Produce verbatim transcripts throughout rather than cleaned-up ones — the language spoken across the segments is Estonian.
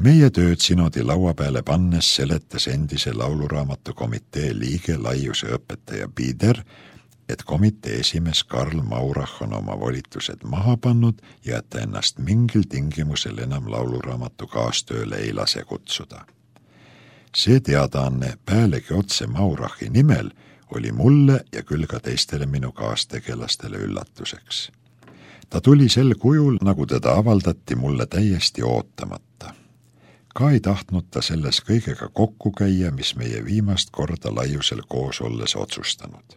Meie tööd sinodi laua peale pannes seletas endise lauluraamatu komitee liige laiuse õpetaja Pider, et komitee esimees Karl Maurach on oma volitused maha pannud ja et ta ennast mingil tingimusel enam lauluraamatu kaastööle ei lase kutsuda. See teadaanne päälegi otse Maurachi nimel oli mulle ja küll ka teistele minu kaastegelastele üllatuseks. Ta tuli sel kujul, nagu teda avaldati mulle täiesti ootamata. Ka ei tahtnud ta selles kõigega kokku käia, mis meie viimast korda laiusel koos olles otsustanud.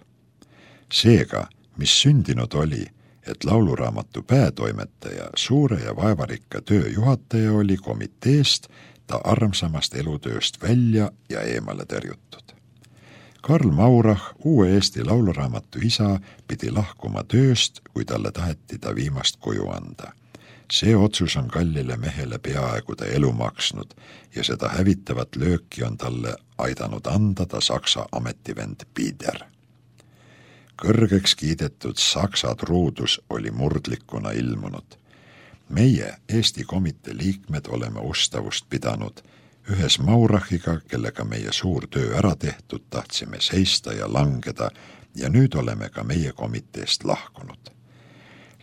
Seega, mis sündinud oli, et lauluraamatu päätoimetaja, suure ja vaevarikka töö juhataja oli komiteest ta armsamast elutööst välja ja eemale tõrjutud. Karl Maurach, uue Eesti lauluraamatu isa, pidi lahkuma tööst, kui talle taheti ta viimast koju anda. See otsus on kallile mehele peaaegu ta elu maksnud ja seda hävitavat lööki on talle aidanud anda ta saksa ametivend Pider. Kõrgeks kiidetud saksa truudus oli murdlikuna ilmunud. Meie, Eesti komitee liikmed, oleme ustavust pidanud. Ühes Maurachiga, kellega meie suur töö ära tehtud, tahtsime seista ja langeda ja nüüd oleme ka meie komiteest lahkunud.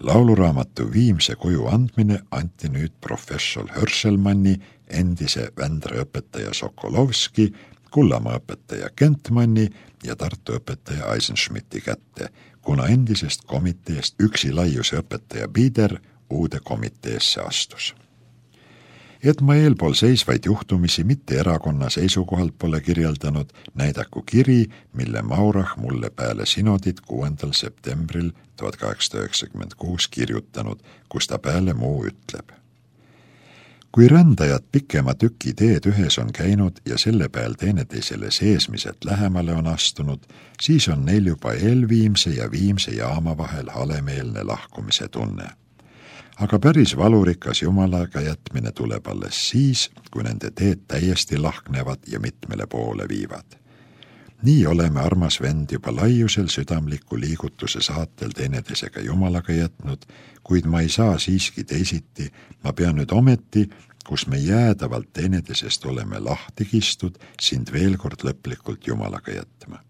Lauluraamatu viimse kuju andmine anti nüüd professor Hörselmanni, endise Vändra õpetaja Sokolovski, Kullamaa õpetaja Kentmanni ja Tartu õpetaja Eisenschmidti kätte, kuna endisest komiteest üksi laiuse õpetaja Pider uude komiteesse astus. Et ma eelpool seisvaid juhtumisi mitte erakonna seisukohalt pole kirjeldanud, näidaku kiri, mille Maurach mulle peale sinodit kuuendal septembril tuhat kaheksasada üheksakümmend kuus kirjutanud, kus ta peale muu ütleb. Kui rändajad pikema tüki teed ühes on käinud ja selle peal teineteisele seesmiselt lähemale on astunud, siis on neil juba eelviimse ja viimse jaama vahel halemeelne lahkumise tunne. Aga päris valurikas jumalaga jätmine tuleb alles siis, kui nende teed täiesti lahknevad ja mitmele poole viivad. Nii oleme armas vend juba laiusel südamliku liigutuse saatel teineteisega jumalaga jätnud, kuid ma ei saa siiski teisiti, ma pean nüüd ometi, kus me jäädavalt teineteisest oleme lahti kistud, sind veel kord lõplikult jumalaga jätma.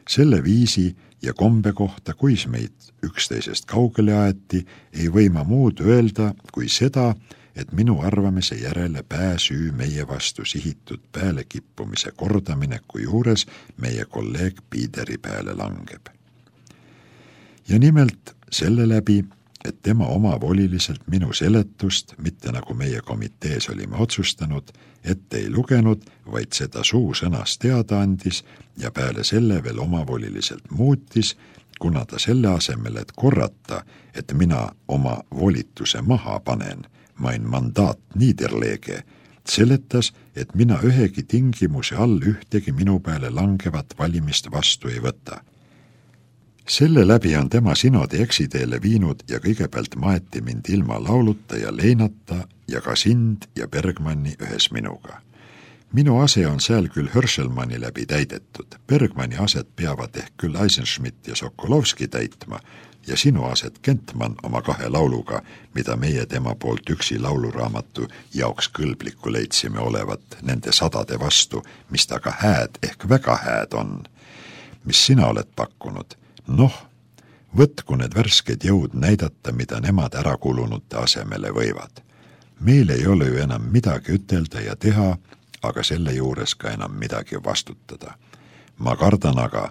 Selle viisi ja kombe kohta, kuis meid üksteisest kaugele aeti, ei või ma muud öelda kui seda, et minu arvamise järele pääsüü meie vastu sihitud peale kippumise kordamineku juures meie kolleeg Pideri peale langeb. Ja nimelt selle läbi, et tema omavoliliselt minu seletust, mitte nagu meie komitees olime otsustanud, ette ei lugenud, vaid seda suu sõnas teada andis ja peale selle veel omavoliliselt muutis, kuna ta selle asemel, et korrata, et mina oma volituse maha panen, main mandaat niederlege, seletas, et mina ühegi tingimuse all ühtegi minu peale langevat valimist vastu ei võta. Selle läbi on tema sinodi eksiteele viinud ja kõigepealt maeti mind ilma lauluta ja leinata ja ka sind ja Bergmanni ühes minuga. Minu ase on seal küll Hörselmanni läbi täidetud, Bergmanni aset peavad ehk küll Eisenschmidt ja Sokolovski täitma ja sinu aset Kentmann oma kahe lauluga, mida meie tema poolt üksi lauluraamatu jaoks kõlbliku leidsime olevat nende sadade vastu, mis ta ka hääd ehk väga hääd on. Mis sina oled pakkunud? Noh, võtku need värsked jõud näidata, mida nemad ära kulunute asemele võivad. Meil ei ole ju enam midagi ütelda ja teha, aga selle juures ka enam midagi vastutada. Ma kardan aga,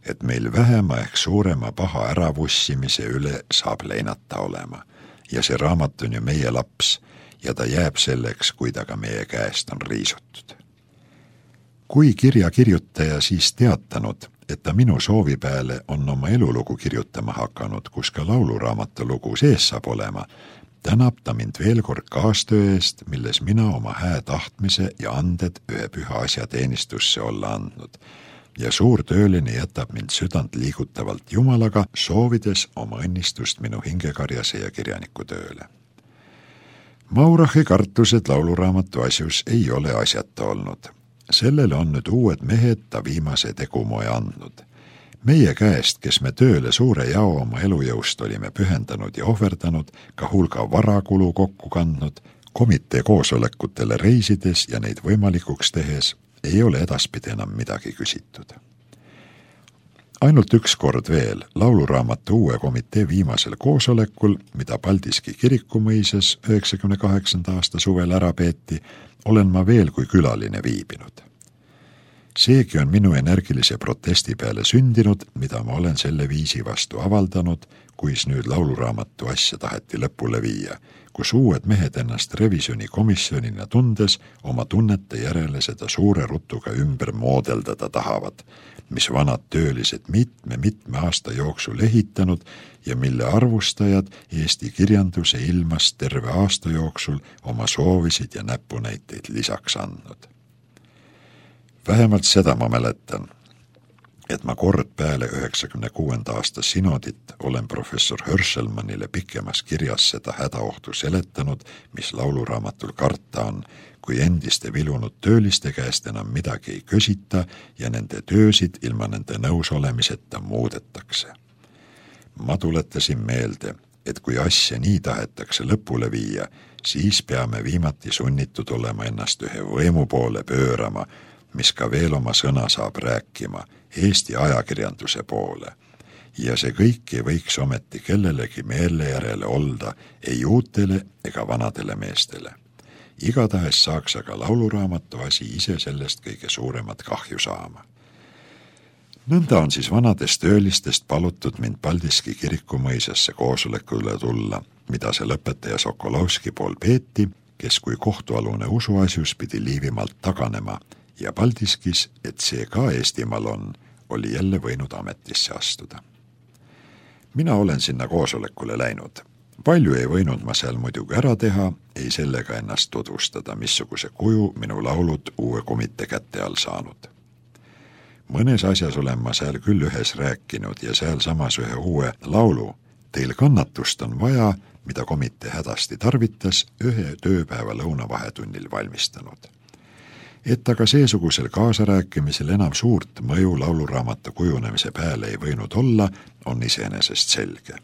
et meil vähema ehk suurema paha äravussimise üle saab leinata olema. Ja see raamat on ju meie laps ja ta jääb selleks, kui ta ka meie käest on riisutud. Kui kirja kirjutaja siis teatanud, et ta minu soovi peale on oma elulugu kirjutama hakanud, kus ka lauluraamatu lugu sees saab olema, tänab ta mind veel kord kaastöö eest, milles mina oma hää tahtmise ja anded ühe püha asja teenistusse olla andnud. Ja suur tööline jätab mind südant liigutavalt Jumalaga, soovides oma õnnistust minu hingekarjase ja kirjaniku tööle. Maurachi kartused lauluraamatu asjus ei ole asjata olnud. Sellele on nüüd uued mehed ta viimase tegumoe andnud. Meie käest, kes me tööle suure jao oma elujõust olime pühendanud ja ohverdanud, ka hulga varakulu kokku kandnud, Komitee koosolekutele reisides ja neid võimalikuks tehes ei ole edaspidi enam midagi küsitud. Ainult üks kord veel lauluraamatu uue komitee viimasel koosolekul, mida Paldiski kirikumõisas üheksakümne kaheksanda aasta suvel ära peeti, olen ma veel kui külaline viibinud. Seegi on minu energilise protesti peale sündinud, mida ma olen selle viisi vastu avaldanud, kuis nüüd lauluraamatu asja taheti lõpule viia, kus uued mehed ennast revisjonikomisjonina tundes oma tunnete järele seda suure rutuga ümber moodeldada tahavad, mis vanad töölised mitme-mitme aasta jooksul ehitanud ja mille arvustajad Eesti kirjanduse ilmas terve aasta jooksul oma soovisid ja näpunäiteid lisaks andnud. Vähemalt seda ma mäletan, et ma kord peale üheksakümne kuuenda aasta sinodit olen professor Hörselmannile pikemas kirjas seda hädaohtu seletanud, mis lauluraamatul karta on, kui endiste vilunud tööliste käest enam midagi ei küsita ja nende töösid ilma nende nõusolemiseta muudetakse. Ma tuletasin meelde, et kui asja nii tahetakse lõpule viia, siis peame viimati sunnitud olema ennast ühe võimu poole pöörama, mis ka veel oma sõna saab rääkima Eesti ajakirjanduse poole. Ja see kõik ei võiks ometi kellelegi meele järele olda ei uutele ega vanadele meestele. Igatahes saaks aga lauluraamatu asi ise sellest kõige suuremat kahju saama. Nõnda on siis vanadest töölistest palutud mind Paldiski kirikumõisasse koosolekule tulla, mida see lõpetaja Sokolovski pool peeti, kes kui kohtualune usuasjus pidi Liivimaalt taganema ja Paldiskis, et see ka Eestimaal on, oli jälle võinud ametisse astuda. Mina olen sinna koosolekule läinud. Palju ei võinud ma seal muidugi ära teha, ei sellega ennast tutvustada, missuguse kuju minu laulud uue komitee kätte all saanud. Mõnes asjas olen ma seal küll ühes rääkinud ja seal samas ühe uue laulu Teil kannatust on vaja, mida komitee hädasti tarvitas, ühe tööpäeva lõunavahetunnil valmistanud. Et aga seesugusel kaasarääkimisel enam suurt mõju lauluraamatu kujunemise peale ei võinud olla, on iseenesest selge.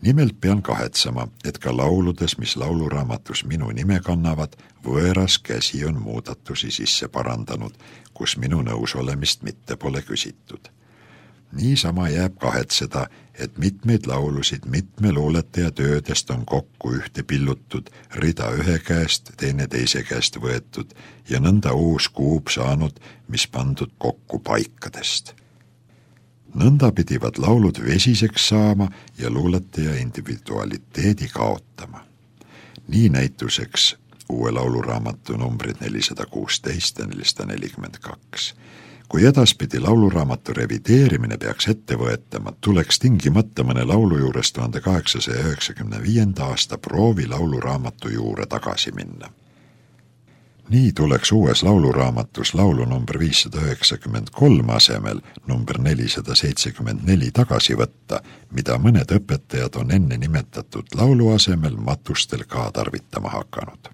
Nimelt pean kahetsema, et ka lauludes, mis lauluraamatus minu nime kannavad, võõras käsi on muudatusi sisse parandanud, kus minu nõusolemist mitte pole küsitud. Niisama jääb kahetseda, et mitmeid laulusid mitme luuletaja töödest on kokku ühte pillutud, rida ühe käest, teine teise käest võetud ja nõnda uus kuub saanud, mis pandud kokku paikadest. Nõnda pidivad laulud vesiseks saama ja luuletaja individualiteedi kaotama. Nii näituseks uue lauluraamatu numbrid nelisada kuusteist ja nelisada nelikümmend kaks. Kui edaspidi lauluraamatu revideerimine peaks ette võetama, tuleks tingimata mõne laulu juures tuhande kaheksasaja üheksakümne viienda aasta proovi lauluraamatu juurde tagasi minna. Nii tuleks uues lauluraamatus laulu number viissada üheksakümmend kolm asemel number nelisada seitsekümmend neli tagasi võtta, mida mõned õpetajad on enne nimetatud laulu asemel matustel ka tarvitama hakanud.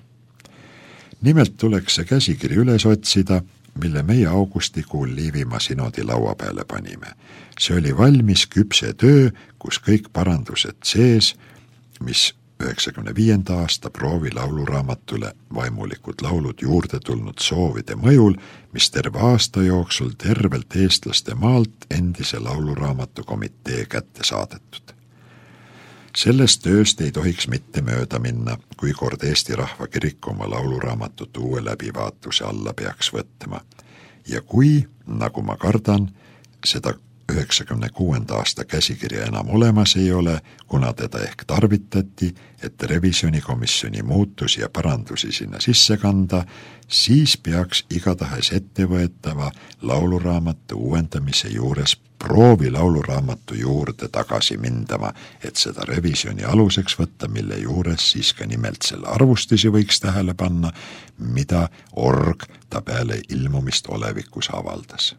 Nimelt tuleks see käsikiri üles otsida, mille meie augustikuul Liivimaa sinodi laua peale panime. See oli valmis küpse töö, kus kõik parandused sees, mis üheksakümne viienda aasta proovi lauluraamatule vaimulikud laulud juurde tulnud soovide mõjul, mis terve aasta jooksul tervelt eestlaste maalt endise lauluraamatu komitee kätte saadetud. Sellest tööst ei tohiks mitte mööda minna, kui kord Eesti Rahva Kirik oma lauluraamatut uue läbivaatuse alla peaks võtma. Ja kui, nagu ma kardan, seda üheksakümne kuuenda aasta käsikirja enam olemas ei ole, kuna teda ehk tarvitati, et revisjonikomisjoni muutusi ja parandusi sinna sisse kanda, siis peaks igatahes ettevõetava lauluraamatu uuendamise juures proovi lauluraamatu juurde tagasi mindama, et seda revisjoni aluseks võtta, mille juures siis ka nimelt selle arvustusi võiks tähele panna, mida org ta peale ilmumist olevikus avaldas.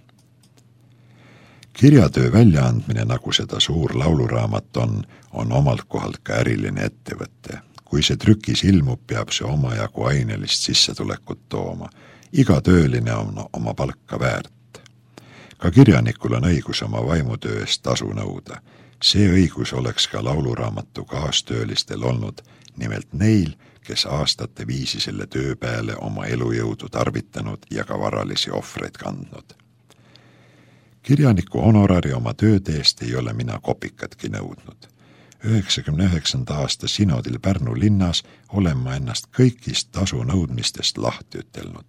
Kirjatöö väljaandmine, nagu seda suur lauluraamat on, on omalt kohalt ka äriline ettevõtte. Kui see trükis ilmub, peab see omajagu ainelist sissetulekut tooma. Iga tööline on oma palka väärt. Ka kirjanikul on õigus oma vaimutöö eest tasu nõuda. See õigus oleks ka lauluraamatu kaastöölistel olnud, nimelt neil, kes aastate viisi selle töö peale oma elujõudu tarvitanud ja ka varalisi ohvreid kandnud. Kirjaniku honorari oma tööd eest ei ole mina kopikatki nõudnud. üheksakümne üheksanda aasta sinodil Pärnu linnas olen ma ennast kõigist tasu nõudmistest lahti ütelnud.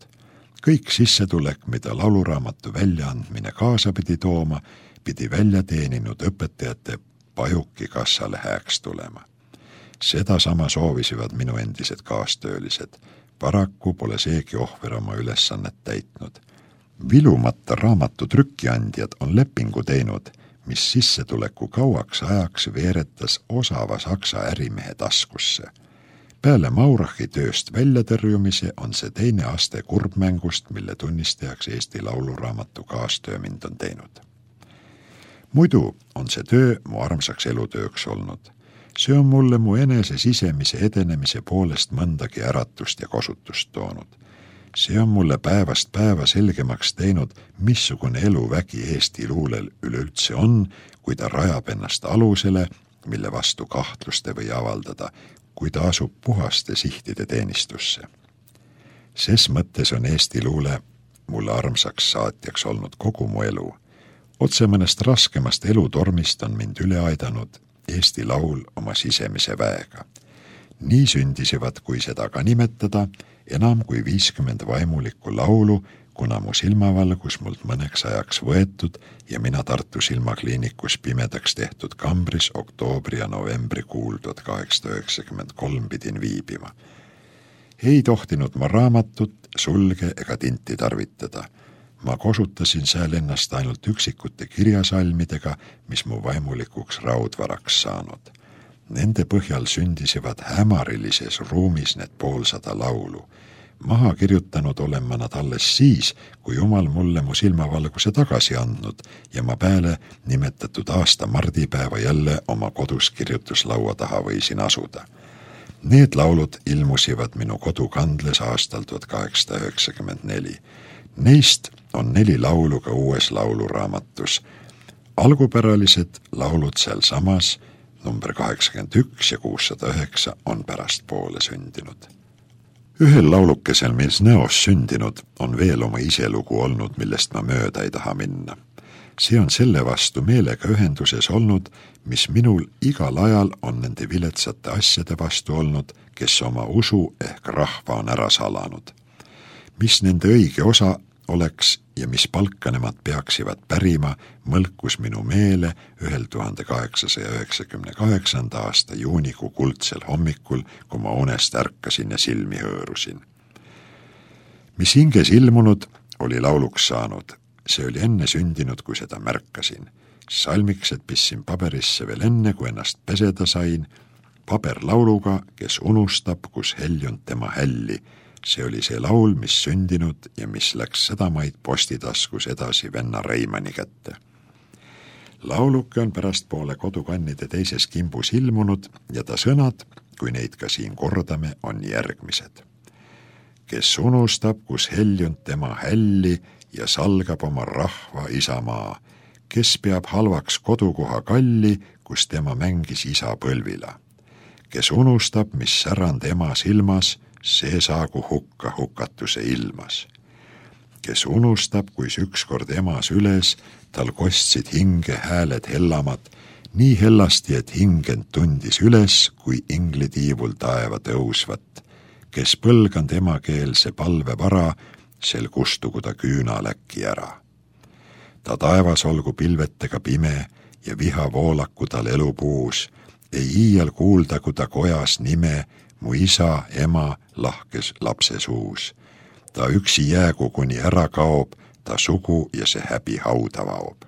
Kõik sissetulek, mida lauluraamatu väljaandmine kaasa pidi tooma, pidi välja teeninud õpetajate pajuki kassale hääks tulema. Seda sama soovisivad minu endised kaastöölised. Paraku pole seegi ohver oma ülesannet täitnud. Vilumata raamatu trükkiandjad on lepingu teinud, mis sissetuleku kauaks ajaks veeretas osava saksa ärimehe taskusse. Peale Maurachi tööst väljatõrjumise on see teine aste kurbmängust, mille tunnistajaks Eesti lauluraamatu kaastöö mind on teinud. Muidu on see töö mu armsaks elutööks olnud. See on mulle mu enese sisemise edenemise poolest mõndagi äratust ja kosutust toonud. See on mulle päevast päeva selgemaks teinud, missugune eluvägi Eesti luulel üleüldse on, kui ta rajab ennast alusele, mille vastu kahtlust ei või avaldada, kui ta asub puhaste sihtide teenistusse. Ses mõttes on Eesti luule mulle armsaks saatjaks olnud kogu mu elu. Otse mõnest raskemast elutormist on mind üle aidanud Eesti laul oma sisemise väega. Nii sündisivad, kui seda ka nimetada, enam kui viiskümmend vaimulikku laulu, kuna mu silmavalgus mult mõneks ajaks võetud ja mina Tartu silmakliinikus pimedaks tehtud kambris oktoobri ja novembri kuul tuhat kaheksasada üheksakümmend kolm pidin viibima. Ei tohtinud ma raamatut, sulge ega tinti tarvitada. Ma kosutasin seal ennast ainult üksikute kirjasalmidega, mis mu vaimulikuks raudvaraks saanud. Nende põhjal sündisivad hämarilises ruumis need poolsada laulu. Maha kirjutanud olen ma nad alles siis, kui Jumal mulle mu silmavalguse tagasi andnud ja ma peale nimetatud aasta mardipäeva jälle oma kodus kirjutuslaua taha võisin asuda. Need laulud ilmusivad minu kodukandles aastal tuhat kaheksasada üheksakümmend neli. Neist on neli laulu ka uues lauluraamatus. Algupäralised laulud seal samas, number kaheksakümmend üks ja kuussada üheksa on pärast poole sündinud. Ühel laulukesel, mis näos sündinud, on veel oma iselugu olnud, millest ma mööda ei taha minna. See on selle vastu meelega ühenduses olnud, mis minul igal ajal on nende viletsate asjade vastu olnud, kes oma usu ehk rahva on ära salanud. Mis nende õige osa oleks ja mis palka nemad peaksivad pärima, mõlkus minu meele ühel tuhande kaheksasaja üheksakümne kaheksanda aasta juunikuu kuldsel hommikul, kui ma unest ärkasin ja silmi hõõrusin. Mis hinges ilmunud, oli lauluks saanud. See oli enne sündinud, kui seda märkasin. Salmiksed pissin paberisse veel enne, kui ennast peseda sain. Paber lauluga, kes unustab, kus heljunud tema hälli. See oli see laul, mis sündinud ja mis läks sedamaid postitaskus edasi venna Reimani kätte. Lauluke on pärast poole kodukannide teises kimbus ilmunud ja ta sõnad, kui neid ka siin kordame, on järgmised. Kes unustab, kus heljunud tema hälli ja salgab oma rahva isamaa, kes peab halvaks kodukoha kalli, kus tema mängis isa põlvila. Kes unustab, mis särand ema silmas, see saagu hukka hukatuse ilmas. Kes unustab, kuis ükskord emas üles, tal kostsid hinge hääled hellamad, nii hellasti, et hingend tundis üles, kui inglitiivul taeva tõusvat. Kes põlgand emakeelse palve vara, sel kustugu ta küüna läki ära. Ta taevas olgu pilvetega pime ja viha voolaku tal elupuus, ei iial kuuldagu ta kojas nime, mu isa, ema lahkes lapse suus. Ta üksi jäägu, kuni ära kaob, ta sugu ja see häbi hauda vaob.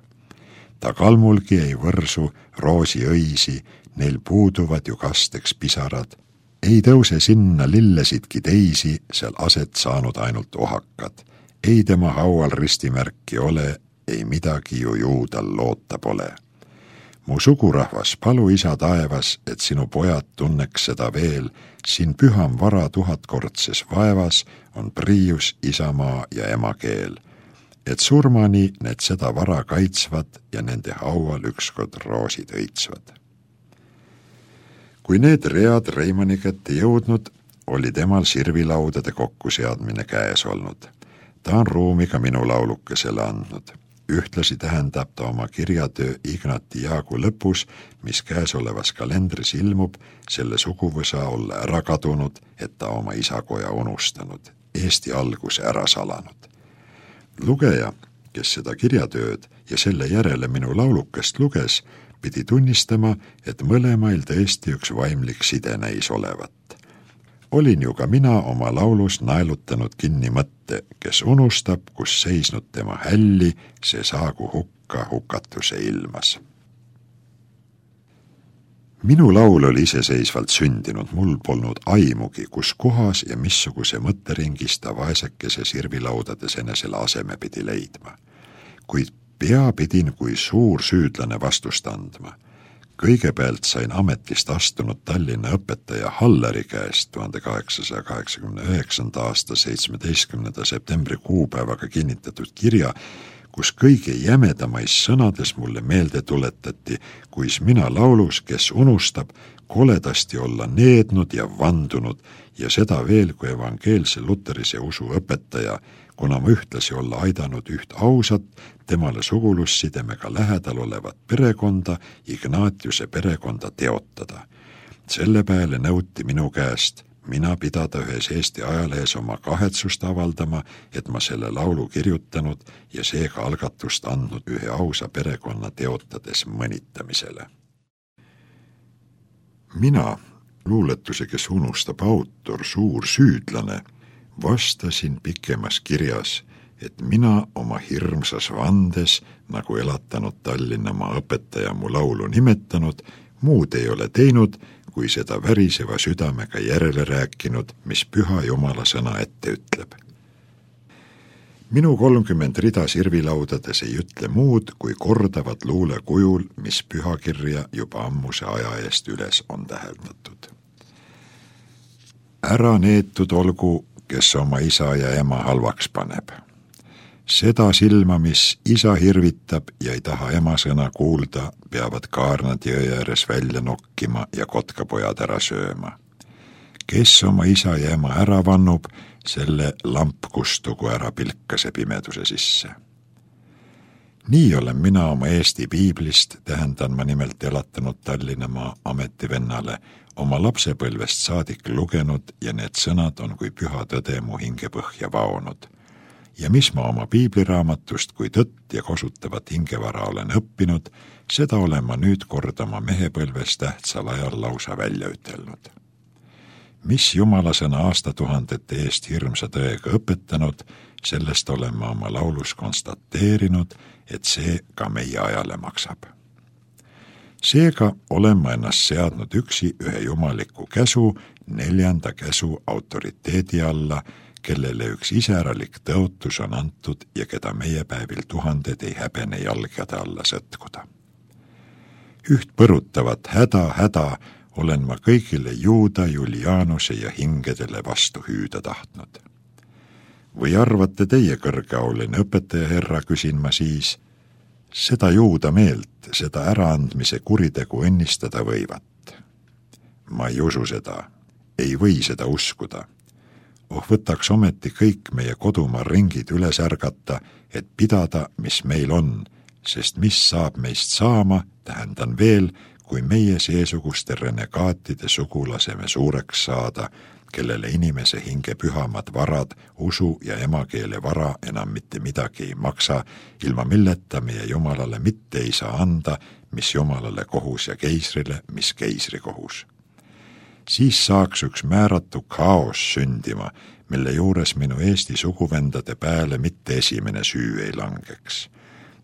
Ta kalmulgi ei võrsu roosi õisi, neil puuduvad ju kasteks pisarad. Ei tõuse sinna lillesidki teisi, seal aset saanud ainult ohakad. Ei tema haual ristimärki ole, ei midagi ju juudal loota pole. Mu sugurahvas, palu isa taevas, et sinu pojad tunneks seda veel, siin püham vara tuhatkordses vaevas on priius, isamaa ja emakeel. Et surmani need seda vara kaitsvad ja nende haual ükskord roosid õitsvad. Kui need read Reimani kätte jõudnud, oli temal sirvilaudade kokkuseadmine käes olnud. Ta on ruumiga minu laulukesele andnud. Ühtlasi tähendab ta oma kirjatöö Ignati Jaagu lõpus, mis käesolevas kalendris ilmub, selle suguvõsa olla ära kadunud, et ta oma isakoja unustanud, Eesti alguse ära salanud. Lugeja, kes seda kirjatööd ja selle järele minu laulukest luges, pidi tunnistama, et mõlemail tõesti üks vaimlik side näis olevat. Olin ju ka mina oma laulus naelutanud kinni mõtte, kes unustab, kus seisnud tema hälli, see saagu hukka hukatuse ilmas. Minu laul oli iseseisvalt sündinud, mul polnud aimugi, kus kohas ja missuguse mõtteringis ta vaesekese sirvilaudades enesele aseme pidi leidma. Kuid pea pidin kui suur süüdlane vastust andma. Kõigepealt sain ametist astunud Tallinna õpetaja Halleri käest tuhande kaheksasaja kaheksakümne üheksanda aasta seitsmeteistkümnenda septembri kuupäevaga kinnitatud kirja, kus kõige jämedamais sõnades mulle meelde tuletati, kuis mina laulus, kes unustab, koledasti olla neednud ja vandunud ja seda veel kui evangeelse luterise usu õpetaja, kuna ma ühtlasi olla aidanud üht ausat, temale sugulussidemega lähedal olevat perekonda, Ignatiuse perekonda teotada. Selle peale nõuti minu käest mina pidada ühes Eesti ajalehes oma kahetsust avaldama, et ma selle laulu kirjutanud ja seega algatust andnud ühe ausa perekonna teotades mõnitamisele. Mina, luuletuse, kes unustab autor, suur süüdlane, vastasin pikemas kirjas, et mina oma hirmsas vandes, nagu elatanud Tallinnamaa õpetaja mu laulu nimetanud, muud ei ole teinud, kui seda väriseva südamega järele rääkinud, mis püha Jumala sõna ette ütleb. Minu kolmkümmend rida sirvilaudades ei ütle muud, kui kordavad luule kujul, mis pühakirja juba ammuse aja eest üles on täheldatud. Ära neetud olgu, kes oma isa ja ema halvaks paneb. Seda silma, mis isa hirvitab ja ei taha ema sõna kuulda, peavad kaarnad jõe ääres välja nokkima ja kotkapojad ära sööma. Kes oma isa ja ema ära vannub, selle lamp kustugu ära pilkase pimeduse sisse. Nii olen mina oma Eesti piiblist, tähendan ma nimelt elatanud Tallinnamaa ametivennale, oma lapsepõlvest saadik lugenud ja need sõnad on kui püha tõde mu hingepõhja vaonud. Ja mis ma oma piibliraamatust kui tõtt ja kosutavat hingevara olen õppinud, seda olen ma nüüd kord oma mehepõlves tähtsal ajal lausa välja ütelnud. Mis Jumala sõna aastatuhandete eest hirmsa tõega õpetanud, sellest olen ma oma laulus konstateerinud, et see ka meie ajale maksab. Seega olen ma ennast seadnud üksi ühe jumaliku käsu, neljanda käsu autoriteedi alla, kellele üks iseralik tõotus on antud ja keda meie päevil tuhanded ei häbene jalgade alla sõtkuda. Üht põrutavat häda, häda olen ma kõigile Juuda, Julianuse ja hingedele vastu hüüda tahtnud. Või arvate teie kõrgeauline õpetaja herra, küsin ma siis, seda Juuda meelt, seda äraandmise kuritegu õnnistada võivat? Ma ei usu seda, ei või seda uskuda. Oh, võtaks ometi kõik meie kodumaa ringid üles ärgata, et pidada, mis meil on, sest mis saab meist saama, tähendan veel, kui meie seesuguste renegaatide sugulaseme suureks saada, kellele inimese hinge pühamad varad, usu ja emakeele vara enam mitte midagi ei maksa, ilma milleta meie Jumalale mitte ei saa anda, mis Jumalale kohus ja keisrile, mis keisri kohus. Siis saaks üks määratu kaos sündima, mille juures minu Eesti suguvendade pääle mitte esimene süü ei langeks.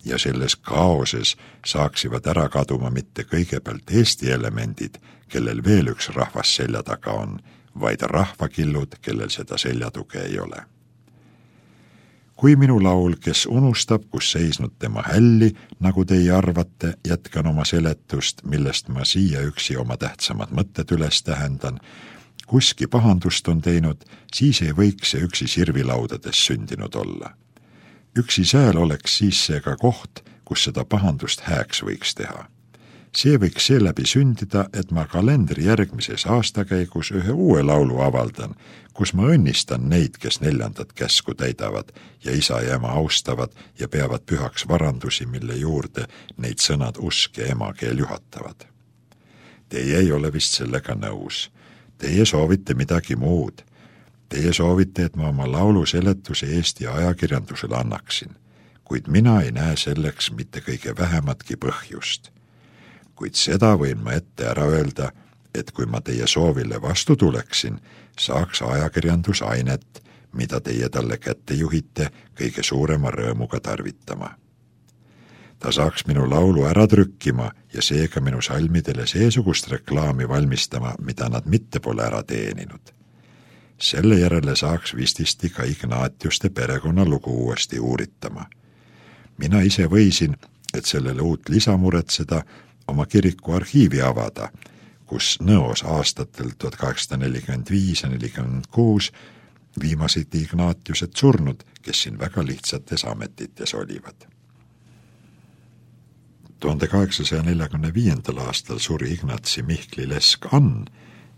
Ja selles kaoses saaksivad ära kaduma mitte kõigepealt Eesti elemendid, kellel veel üks rahvas selja taga on, vaid rahvakillud, kellel seda seljatuge ei ole. Kui minu laul, kes unustab, kus seisnud tema hälli, nagu teie arvate, jätkan oma seletust, millest ma siia üksi oma tähtsamad mõtted üles tähendan, kuski pahandust on teinud, siis ei võiks see üksi sirvilaudades sündinud olla. Üksi sääl oleks siis see ka koht, kus seda pahandust hääks võiks teha. See võiks seeläbi sündida, et ma kalendri järgmises aastakäigus ühe uue laulu avaldan, kus ma õnnistan neid, kes neljandat käsku täidavad ja isa ja ema austavad ja peavad pühaks varandusi, mille juurde neid sõnad usk ja emakeel juhatavad. Teie ei ole vist sellega nõus. Teie soovite midagi muud. Teie soovite, et ma oma laulu seletuse Eesti ajakirjandusele annaksin, kuid mina ei näe selleks mitte kõige vähematki põhjust. Kuid seda võin ma ette ära öelda, et kui ma teie soovile vastu tuleksin, saaks ajakirjandus ainet, mida teie talle kätte juhite kõige suurema rõõmuga tarvitama. Ta saaks minu laulu ära trükkima ja seega minu salmidele seesugust reklaami valmistama, mida nad mitte pole ära teeninud. Selle järele saaks vististi ka Ignatiuste perekonnalugu uuesti uuritama. Mina ise võisin, et sellele uut lisamuretseda, oma kiriku arhiivi avada, kus Nõos aastatel tuhat kaheksasada nelikümmend viis ja nelikümmend kuus viimased Ignatiused surnud, kes siin väga lihtsates ametites olivad. tuhande kaheksasaja neljakümne viiendal aastal suri Ignatsi Mihkli lesk Ann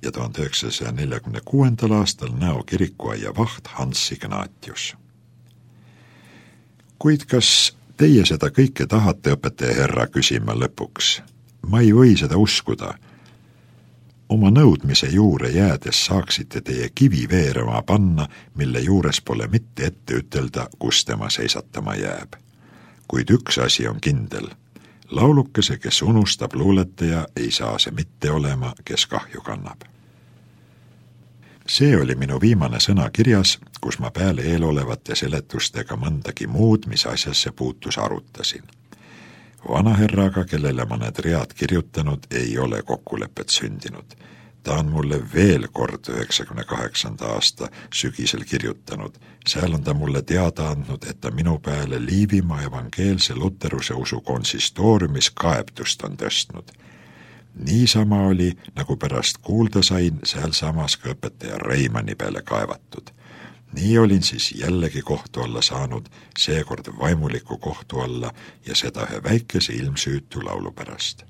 ja tuhande üheksasaja neljakümne kuuendal aastal Nõo kirikuaia vaht Hans Ignatius. Kuid kas teie seda kõike tahate, õpetaja herra, küsima lõpuks? Ma ei või seda uskuda. Oma nõudmise juure jäädes saaksite teie kivi veerema panna, mille juures pole mitte ette ütelda, kus tema seisatama jääb. Kuid üks asi on kindel. Laulukese, kes unustab luuletaja, ei saa see mitte olema, kes kahju kannab. See oli minu viimane sõna kirjas, kus ma peale eelolevate seletustega mõndagi muud, mis asjasse puutus, arutasin. Vanaherraga, kellele ma need read kirjutanud, ei ole kokkulepet sündinud. Ta on mulle veel kord üheksakümne kaheksanda aasta sügisel kirjutanud. Seal on ta mulle teada andnud, et ta minu peale Liivimaa evangeelse luteruse usu konsistooriumis kaebtust on tõstnud. Niisama oli, nagu pärast kuulda sain, seal samas ka õpetaja Reimanni peale kaevatud. Nii olin siis jällegi kohtu alla saanud, seekord vaimuliku kohtu alla ja seda ühe väikese ilmsüütu laulu pärast.